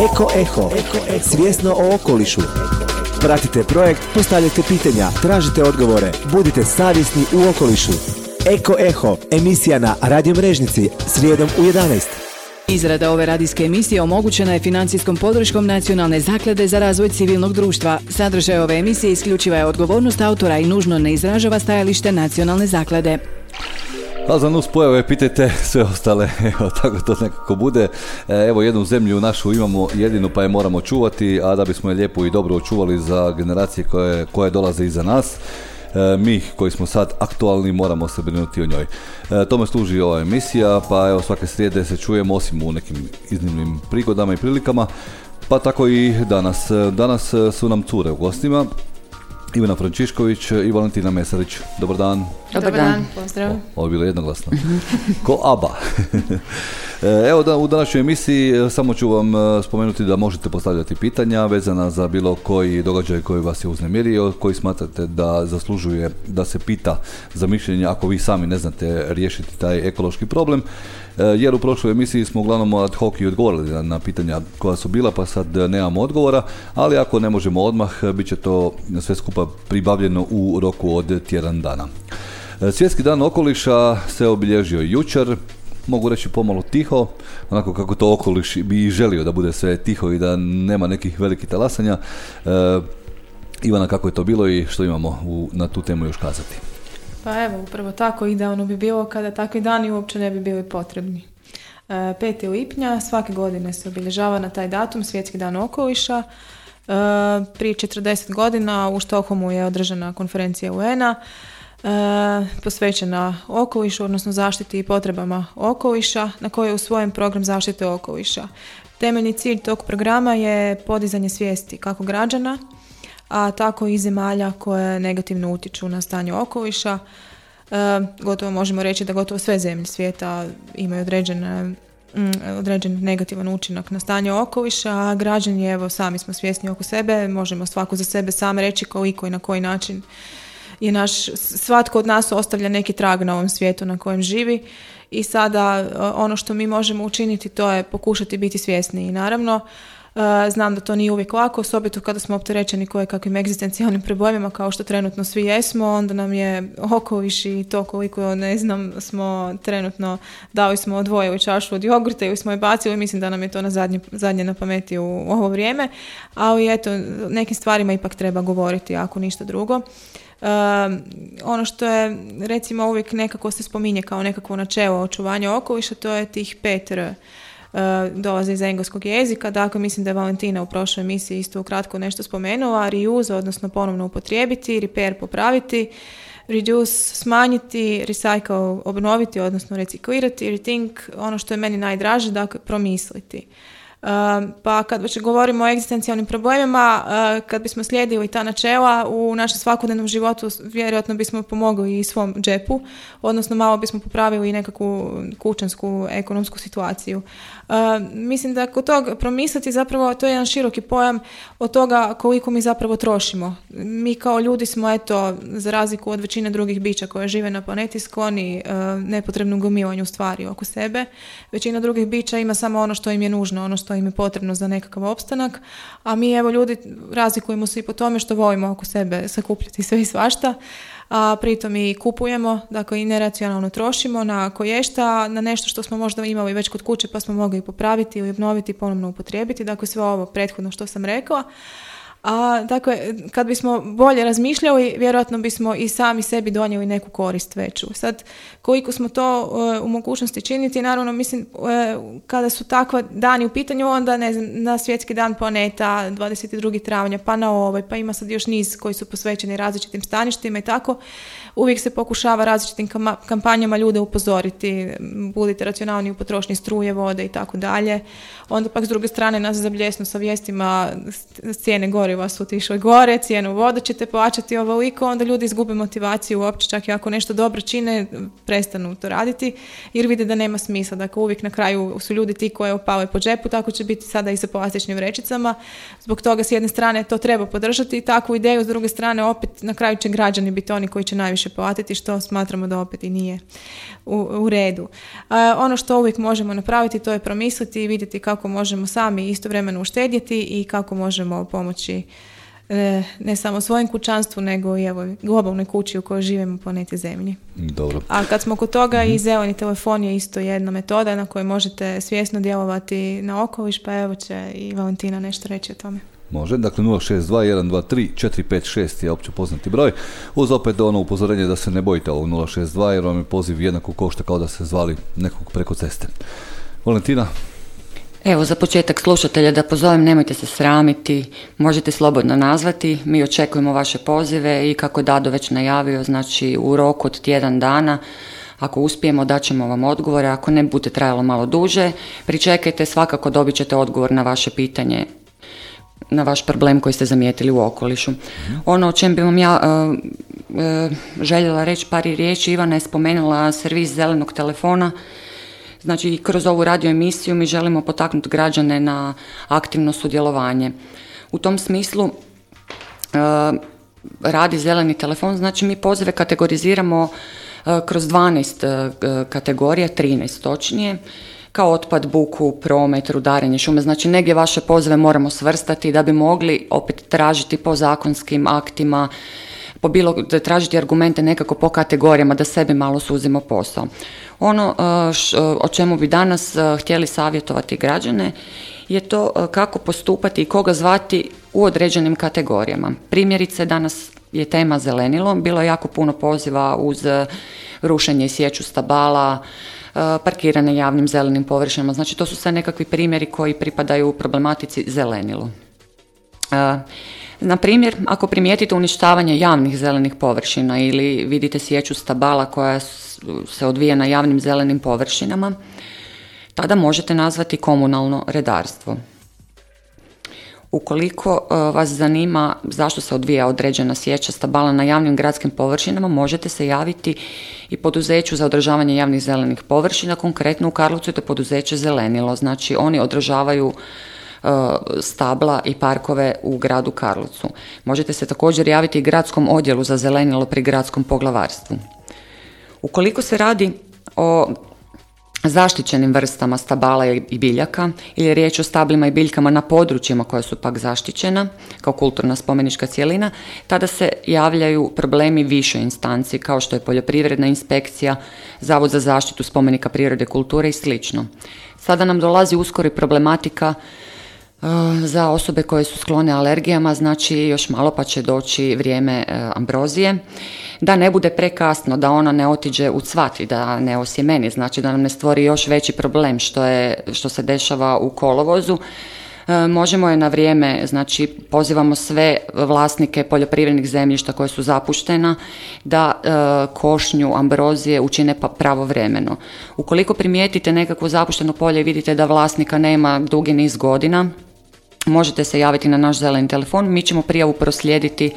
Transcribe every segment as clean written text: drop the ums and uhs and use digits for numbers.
Eko Eho, svjesno o okolišu. Pratite projekt, postavljajte pitanja, tražite odgovore, budite savjesni u okolišu. Eko Eho, emisija na Radio Mrežnici, srijedom u 11. Izrada ove radijske emisije omogućena je financijskom podrškom Nacionalne zaklade za razvoj civilnog društva. Sadržaj ove emisije isključiva je odgovornost autora i nužno ne izražava stajalište Nacionalne zaklade. A za nus pojave pitajte sve ostale, evo tako to nekako bude. Evo jednu zemlju našu imamo jedinu pa je moramo čuvati, a da bismo je lijepo i dobro očuvali za generacije koje dolaze iza nas, mi koji smo sad aktualni moramo se brinuti o njoj. Tome služi ova emisija, pa evo svake srijede se čujemo osim u nekim iznimnim prigodama i prilikama, pa tako i danas. Danas su nam cure u gostima. Ivana Frančišković i Valentina Mesarić. Dobar dan. Dobar dan, pozdrav. Ovo je bilo jednoglasno. Ko ABBA. Evo u današnjoj emisiji samo ću vam spomenuti da možete postavljati pitanja vezana za bilo koji događaj koji vas je uznemirio, koji smatrate da zaslužuje da se pita za mišljenje ako vi sami ne znate riješiti taj ekološki problem. Jer u prošloj emisiji smo uglavnom ad hoc i odgovorili na pitanja koja su bila, pa sad nemamo odgovora, ali ako ne možemo odmah, bit će to sve skupa pribavljeno u roku od tjedan dana. Svjetski dan okoliša se obilježio jučer, mogu reći pomalo tiho, onako kako to okoliš bi želio da bude sve tiho i da nema nekih velikih talasanja. Ivana, kako je to bilo i što imamo na tu temu još kazati? Pa evo, upravo tako idealno bi bilo kada takvi dani uopće ne bi bili potrebni. 5. lipnja svake godine se obilježava na taj datum Svjetski dan okoliša. Prije 40 godina u Štokholmu je održana konferencija UN-a posvećena okolišu, odnosno zaštiti i potrebama okoliša, na kojoj je usvojen program zaštite okoliša. Temeljni cilj tog programa je podizanje svijesti kako građana, a tako i zemalja koje negativno utječu na stanje okoliša. Gotovo možemo reći da gotovo sve zemlje svijeta imaju određen negativan učinak na stanje okoliša, a građani, evo, sami smo svjesni oko sebe, možemo svako za sebe sam reći koliko i na koji način je svatko od nas ostavlja neki trag na ovom svijetu na kojem živi i sada ono što mi možemo učiniti to je pokušati biti svjesni i naravno znam da to nije uvijek lako, osobito kada smo opterećeni kojekakvim egzistencijalnim problemima kao što trenutno svi jesmo, onda nam je okoliš i to koliko ne znam smo trenutno dali smo odvojili čašu od jogurta ili smo je bacili, mislim da nam je to zadnje na pameti u ovo vrijeme, ali eto, nekim stvarima ipak treba govoriti ako ništa drugo. Ono što je recimo uvijek nekako se spominje kao nekakvo načelo očuvanja okoliša, to je tih 5 R. Dolaze iz engleskog jezika, dakle mislim da je Valentina u prošloj emisiji isto ukratko nešto spomenula, reuse, odnosno ponovno upotrijebiti, repair, popraviti, reduce, smanjiti, recycle, obnoviti, odnosno reciklirati, rethink, ono što je meni najdraže, dakle promisliti. Pa kad već govorimo o egzistencijalnim problemima, kad bismo slijedili ta načela u našem svakodnevnom životu, vjerojatno bismo pomogli i svom džepu, odnosno malo bismo popravili i nekakvu kućansku ekonomsku situaciju. Mislim da kod toga promisliti zapravo to je jedan široki pojam od toga koliko mi zapravo trošimo. Mi kao ljudi smo, eto, za razliku od većine drugih bića koje žive na planeti, skloni nepotrebnom gomilanju stvari oko sebe. Većina drugih bića ima samo ono što im je nužno, ono što im je potrebno za nekakav opstanak, a mi, evo, ljudi razlikujemo se i po tome što volimo oko sebe sakupljati sve i svašta, a pritom i kupujemo, dakle i neracionalno trošimo na koješta, na nešto što smo možda imali već kod kuće pa smo mogli popraviti ili obnoviti, ponovno upotrijebiti, dakle sve ovo prethodno što sam rekla. A dakle, kad bismo bolje razmišljali, vjerojatno bismo i sami sebi donijeli neku korist veću. Sad, koliko smo to u mogućnosti činiti, naravno, mislim, kada su takva dani u pitanju, onda, ne znam, na Svjetski dan planeta, 22. travnja, pa na ovaj, pa ima sad još niz koji su posvećeni različitim staništima i tako, uvijek se pokušava različitim kampanjama ljude upozoriti, budite racionalni u potrošnji struje, vode i tako dalje. Onda pak s druge strane nas zabljesnu sa vijestima cijene goriva goriva su otišli gore, cijenu vode ćete plaćati ovoliko, onda ljudi izgube motivaciju uopće, čak i ako nešto dobro čine, prestanu to raditi, jer vide da nema smisla. Dakle, uvijek na kraju su ljudi ti koji opale po džepu, tako će biti sada i sa plastičnim vrećicama. Zbog toga s jedne strane to treba podržati, takvu ideju, s druge strane opet na kraju će građani biti oni koji će najviše platiti, što smatramo da opet i nije u redu. Ono što uvijek možemo napraviti, to je promisliti i vidjeti kako možemo sami istovremeno uštedjeti i kako možemo pomoći ne samo svojem kućanstvu, nego i evo, globalnoj kući u kojoj živimo planeti Zemlji. Dobro. A kad smo kod toga, i zeleni telefon je isto jedna metoda na kojoj možete svjesno djelovati na okoliš, pa evo će i Valentina nešto reći o tome. Može, dakle 062-123-456 je opće poznati broj, uz opet ono upozorenje da se ne bojite ovog 062 jer vam je poziv jednako košta kao da ste zvali nekog preko ceste. Valentina? Evo, za početak slušatelja da pozovem, nemojte se sramiti, možete slobodno nazvati, mi očekujemo vaše pozive i kako je Dado već najavio, znači u roku od tjedan dana, ako uspijemo daćemo vam odgovore, ako ne bude trajalo malo duže, pričekajte, svakako dobit ćete odgovor na vaše pitanje, na vaš problem koji ste zamijetili u okolišu. Ono o čem bi vam ja željela reći par riječi, Ivana je spomenula servis zelenog telefona. Znači, kroz ovu radio emisiju mi želimo potaknuti građane na aktivno sudjelovanje. U tom smislu radi zeleni telefon, znači mi pozive kategoriziramo kroz 12 kategorija, 13 točnije, kao otpad, buku, promet, rudarenje, šume. Znači, negdje vaše pozive moramo svrstati da bi mogli opet tražiti po zakonskim aktima, tražiti argumente nekako po kategorijama, da sebi malo suzimo posao. Ono o čemu bi danas htjeli savjetovati građane je to kako postupati i koga zvati u određenim kategorijama. Primjerice, danas je tema zelenilo, bilo je jako puno poziva uz rušenje i sječu stabala, parkirane javnim zelenim površinama. Znači, to su sve nekakvi primjeri koji pripadaju problematici zelenilo. Na primjer, ako primijetite uništavanje javnih zelenih površina ili vidite sječu stabala koja se odvija na javnim zelenim površinama, tada možete nazvati komunalno redarstvo. Ukoliko vas zanima zašto se odvija određena sječa stabala na javnim gradskim površinama, možete se javiti i poduzeću za održavanje javnih zelenih površina, konkretno u Karlovcu je to poduzeće Zelenilo, znači oni održavaju stabla i parkove u gradu Karlovcu. Možete se također javiti i gradskom odjelu za zelenilo pri gradskom poglavarstvu. Ukoliko se radi o zaštićenim vrstama stabala i biljaka ili je riječ o stablima i biljkama na područjima koja su pak zaštićena kao kulturna spomenička cjelina, tada se javljaju problemi više instanci kao što je poljoprivredna inspekcija, Zavod za zaštitu spomenika prirode, kulture i sl. Sada nam dolazi uskoro i problematika za osobe koje su sklone alergijama, znači još malo pa će doći vrijeme ambrozije, da ne bude prekasno, da ona ne otiđe u cvat i da ne osjemeni, znači da nam ne stvori još veći problem što se dešava u kolovozu. Možemo je na vrijeme, znači pozivamo sve vlasnike poljoprivrednih zemljišta koje su zapuštena da košnju ambrozije učine pravovremeno. Ukoliko primijetite nekakvo zapušteno polje i vidite da vlasnika nema dugi niz godina, možete se javiti na naš zeleni telefon, mi ćemo prijavu proslijediti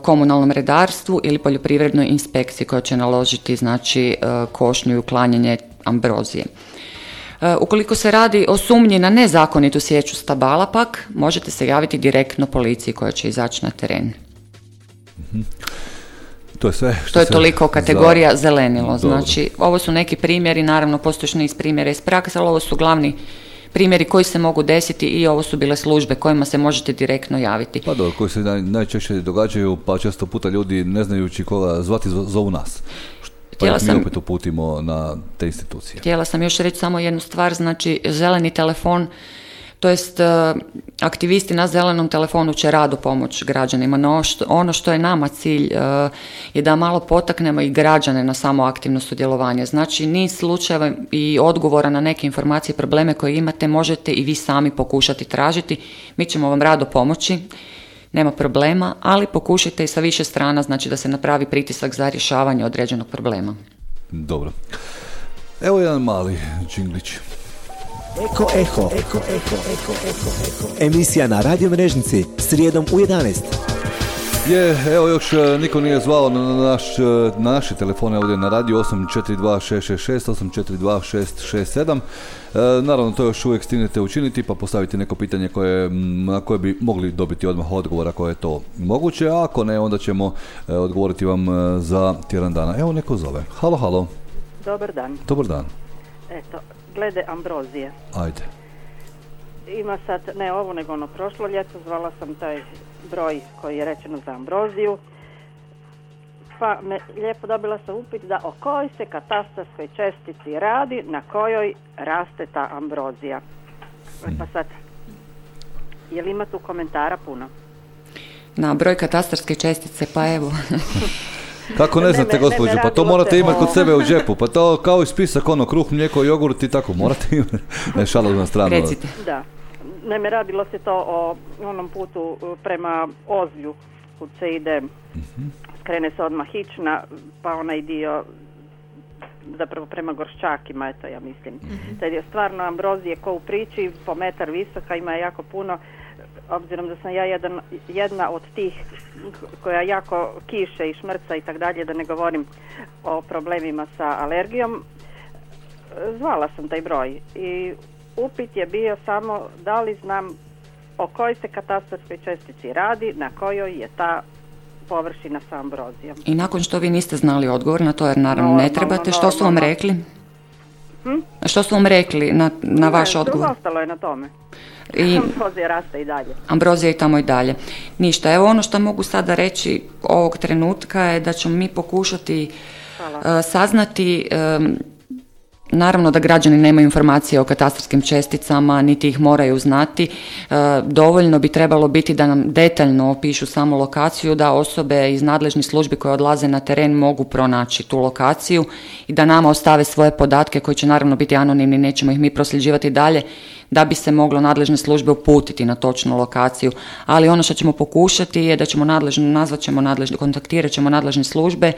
komunalnom redarstvu ili poljoprivrednoj inspekciji koja će naložiti znači košnju i uklanjanje ambrozije. Ukoliko se radi o sumnji na nezakonitu sječu stabala pak, možete se javiti direktno policiji koja će izaći na teren. To je sve. To je toliko kategorija zelenilo. Znači, ovo su neki primjeri, naravno postoji još niz primjera iz prakse, ali ovo su glavni primjeri koji se mogu desiti i ovo su bile službe kojima se možete direktno javiti. Pa dobro, koji se najčešće događaju, pa često puta ljudi ne znajući koga zvati zovu nas. Pa mi opet uputimo na te institucije. Htjela sam još reći samo jednu stvar, znači zeleni telefon, to jest aktivisti na zelenom telefonu će rado pomoći građanima, no ono što je nama cilj je da malo potaknemo i građane na samo aktivno sudjelovanje. Znači niz slučajeva i odgovora na neke informacije i probleme koje imate možete i vi sami pokušati tražiti, mi ćemo vam rado pomoći. Nema problema, ali pokušajte i sa više strana, znači da se napravi pritisak za rješavanje određenog problema. Dobro. Evo jedan mali džinglić. Eko Eho. Emisija na Radio Mrežnici srijedom u 11. Evo još niko nije zvao na naše telefone ovdje na radio 842666, 842667. Naravno to još uvijek stignete učiniti pa postaviti neko pitanje na koje bi mogli dobiti odmah odgovor ako je to moguće, a ako ne onda ćemo odgovoriti vam za tjedan dana. Evo neko zove. Halo. Dobar dan. Dobar dan. Eto, glede ambrozije. Ajde. Ima sad, ne ovo nego ono prošlo ljeto, zvala sam taj broj koji je rečeno za ambroziju, pa lijepo dobila sam upit da o kojoj se katastarskoj čestici radi na kojoj raste ta ambrozija. Pa sad, je li ima tu komentara puno? Na broj katastarske čestice, pa evo. Kako ne znate, gospođo, pa to morate imati kod sebe u džepu, pa to kao i spisak, kruh, mlijeko, jogurt i tako, morate imati. Ne, šalo na stranu. Recite. Da. Naime, radilo se to o onom putu prema Ozlju, kud se ide, skrene se odmah Hična, pa onaj dio zapravo prema Gorščakima, eto ja mislim. Tad je stvarno ambrozije ko u priči, po metar visoka, ima jako puno, obzirom da sam ja jedna od tih koja jako kiše i šmrca i tak dalje, da ne govorim o problemima sa alergijom. Zvala sam taj broj i upit je bio samo da li znam o kojoj se katastarskoj čestici radi, na kojoj je ta površina sa ambrozijom. I nakon što vi niste znali odgovor na to, jer naravno ne trebate, što su vam rekli? Što su vam rekli na vaš odgovor? Ostalo je na tome. Ambrozija raste i dalje. Ambrozija i tamo i dalje. Ništa, evo ono što mogu sada reći ovog trenutka je da ćemo mi pokušati saznati. Naravno da građani nemaju informacije o katastarskim česticama, niti ih moraju znati. Dovoljno bi trebalo biti da nam detaljno opišu samu lokaciju, da osobe iz nadležnih službi koje odlaze na teren mogu pronaći tu lokaciju i da nama ostave svoje podatke koji će naravno biti anonimni, nećemo ih mi prosljeđivati dalje, da bi se moglo nadležne službe uputiti na točnu lokaciju. Ali ono što ćemo pokušati je da ćemo kontaktirat ćemo nadležne službe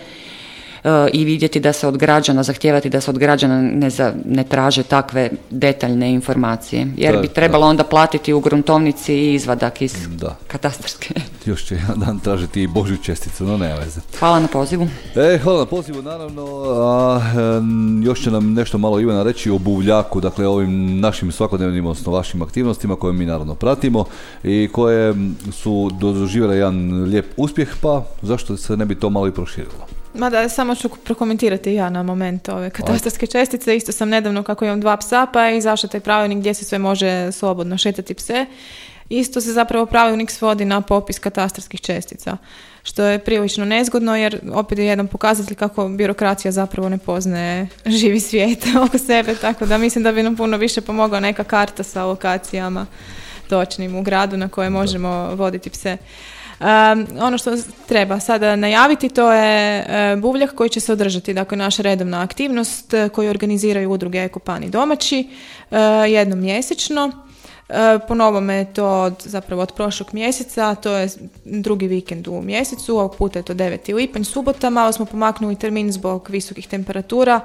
i vidjeti da se od građana, zahtijevati da se od građana ne traže takve detaljne informacije. Jer bi trebalo onda platiti u gruntovnici i izvadak iz katastarske. Još će jedan dan tražiti i Božju česticu, no nema veze. Hvala na pozivu. Hvala na pozivu, naravno. Još će nam nešto malo Ivana reći o buvljaku, dakle ovim našim svakodnevnim, odnosno vašim aktivnostima koje mi naravno pratimo i koje su doživjele jedan lijep uspjeh, pa zašto se ne bi to malo i proširilo? Mada samo ću prokomentirati ja na moment ove katastarske čestice. Isto sam nedavno, kako imam 2 psa, pa je izašao taj pravilnik gdje se sve može slobodno šetati pse. Isto se zapravo pravilnik svodi na popis katastarskih čestica, što je prilično nezgodno jer opet je jedan pokazatelj kako birokracija zapravo ne poznaje živi svijet oko sebe, tako da mislim da bi nam puno više pomogla neka karta sa lokacijama točnim u gradu na koje možemo voditi pse. Ono što treba sada najaviti, to je buvljak koji će se održati, dakle naša redovna aktivnost koju organiziraju udruge Ekopani domaći jednom mjesečno. Po novome je to zapravo od prošlog mjeseca, to je drugi vikend u mjesecu, ovog puta je to 9. lipanj, subota, malo smo pomaknuli termin zbog visokih temperatura,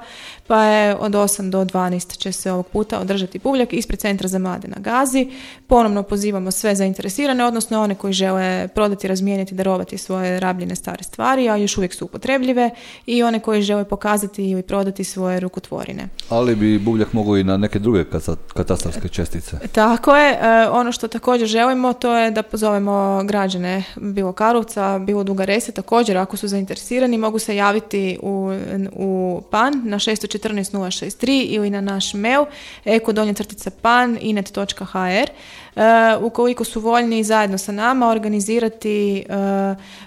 pa je od 8 do 12 će se ovog puta održati buvljak ispred Centra za mlade na Gazi. Ponovno pozivamo sve zainteresirane, odnosno one koji žele prodati, razmijeniti, darovati svoje rabljene stare stvari, a još uvijek su upotrebljive, i one koji žele pokazati ili prodati svoje rukotvorine. Ali bi buvljak mogao i na neke druge katastarske čestice. Tako je. Ono što također želimo, to je da pozovemo građane bilo Karlovca, bilo Duga Resa, također ako su zainteresirani mogu se javiti u PAN na 614 063 ili na naš mail eko_pan@inet.hr. Ukoliko su voljni zajedno sa nama organizirati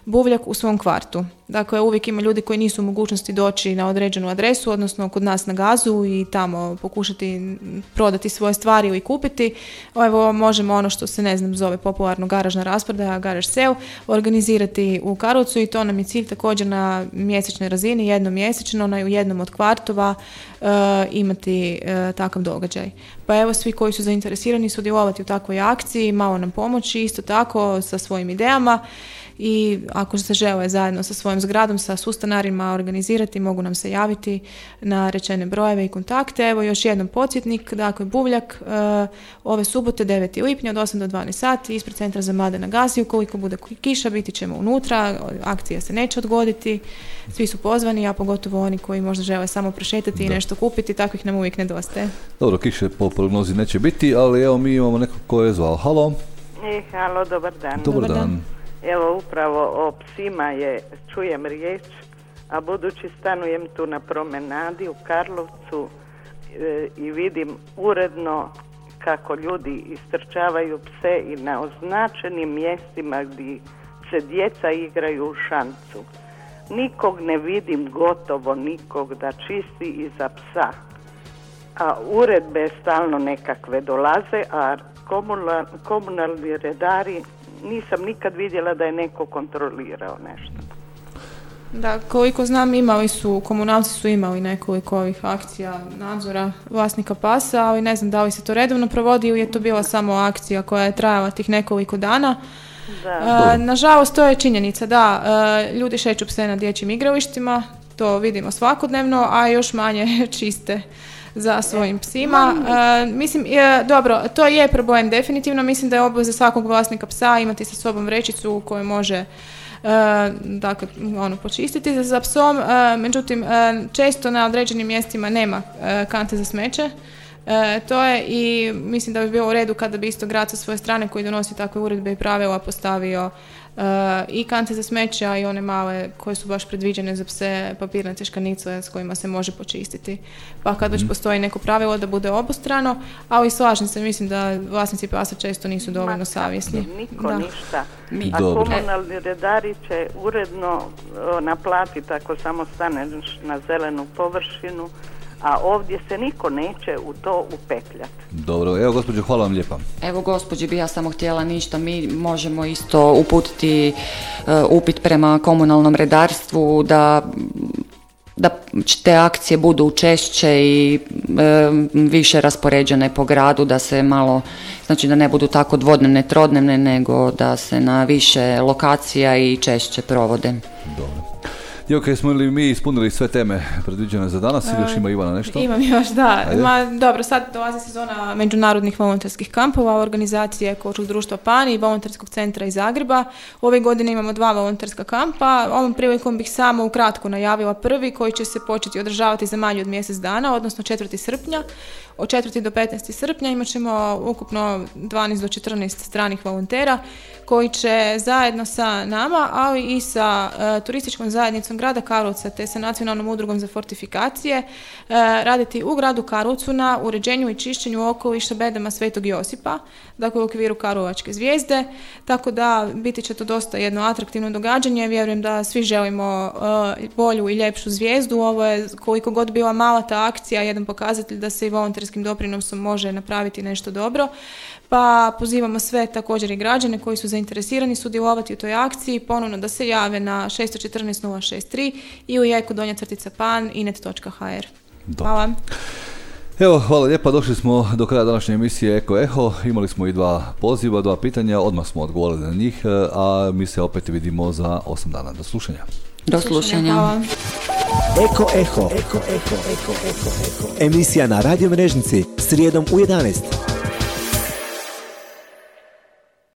buvljak u svom kvartu. Dakle, uvijek ima ljudi koji nisu u mogućnosti doći na određenu adresu, odnosno kod nas na Gazu i tamo pokušati prodati svoje stvari ili kupiti. Evo, možemo ono što se zove popularno garažna rasprodaja, garage sale, organizirati u Karlovcu, i to nam je cilj također na mjesečnoj razini, jednom mjesečno, u jednom od kvartova imati takav događaj. Pa evo, svi koji su zainteresirani sudjelovati u takvoj akciji, malo nam pomoći, isto tako sa svojim idejama. i ako se žele zajedno sa svojom zgradom, sa sustanarima organizirati, mogu nam se javiti na rečene brojeve i kontakte. Evo još jednom podsjetnik, dakle Buvljak ove subote 9. lipnja od 8 do 12 sati ispred Centra za mlade na Gazi. Ukoliko bude kiša, biti ćemo unutra, akcija se neće odgoditi, svi su pozvani, a pogotovo oni koji možda žele samo prošetati i nešto kupiti, takvih nam uvijek nedostaje. Dobro, kiše po prognozi neće biti, ali evo mi imamo nekog ko je zvao. Halo. Halo, dobar dan. Dobar dan. Evo upravo o psima čujem riječ, a budući stanujem tu na promenadi u Karlovcu i vidim uredno kako ljudi istrčavaju pse i na označenim mjestima gdje se djeca igraju u šancu. Nikog ne vidim, gotovo nikog da čisti iza psa. A uredbe stalno nekakve dolaze, a komunalni redari nisam nikad vidjela da je neko kontrolirao nešto. Da, koliko znam, komunalci su imali nekoliko ovih akcija nadzora vlasnika pasa, ali ne znam da li se to redovno provodi ili je to bila samo akcija koja je trajala tih nekoliko dana. Nažalost, to je činjenica da ljudi šeću pse na dječjim igralištima, to vidimo svakodnevno, a još manje čiste za svojim psima. Dobro, to je problem definitivno. Mislim da je obaveza svakog vlasnika psa imati sa sobom vrećicu u kojoj može počistiti za psom. Međutim, često na određenim mjestima nema kante za smeće. To je i mislim da bi bilo u redu kada bi isto grad sa svoje strane koji donosi takve uredbe i pravila postavio i kante za smeće, a i one male koje su baš predviđene za pse, papirnate škanice s kojima se može počistiti. Pa kad već postoji neko pravilo da bude obostrano, ali slažem se, mislim da vlasnici pasa često nisu dovoljno savjesni. Niko ništa. A komunalni redari će uredno naplatiti ako samo staneš na zelenu površinu, a ovdje se niko neće u to upetljati. Dobro, evo gospođo, hvala vam lijepa. Evo gospođi bi ja samo htjela ništa, mi možemo isto uputiti upit prema komunalnom redarstvu da te akcije budu češće i više raspoređene po gradu, da se malo, znači da ne budu tako dvodnevne, trodnevne, nego da se na više lokacija i češće provode. Dobro. Djevojke, smo li mi ispunili sve teme predviđene za danas ili još ima Ivana nešto? Imam još, da. Dobro, sad dolazi sezona međunarodnih volonterskih kampova, organizacije Ekološkog društva PAN i Volonterskog centra iz Zagreba. Ove godine imamo 2 volonterska kampa. Ovom prilikom bih samo ukratko najavila prvi koji će se početi održavati za manje od mjesec dana, odnosno 4. srpnja. Od 4. do 15. srpnja imat ćemo ukupno 12 do 14 stranih volontera koji će zajedno sa nama, ali i sa turističkom zajednicom grada Karlovca te sa Nacionalnom udrugom za fortifikacije raditi u gradu Karlovcu na uređenju i čišćenju okoliša bedema Svetog Josipa, dakle u okviru Karlovačke zvijezde, tako da biti će to dosta jedno atraktivno događanje. Vjerujem da svi želimo bolju i ljepšu zvijezdu. Ovo je, koliko god bila mala ta akcija, jedan pokazatelj da se i volonterskim doprinosom može napraviti nešto dobro. Pa pozivamo sve, također i građane koji su zainteresirani sudjelovati u toj akciji, ponovno da se jave na 614 063 ili eko_pan inet.hr. Hvala. Evo, hvala lijepa, došli smo do kraja današnje emisije Eko Eho, imali smo i 2 poziva, 2 pitanja, odmah smo odgovorili na njih, a mi se opet vidimo za 8 dana. Do slušanja. Do slušanja. Eko Eho. Emisija na Radio Mrežnici, srijedom u 11.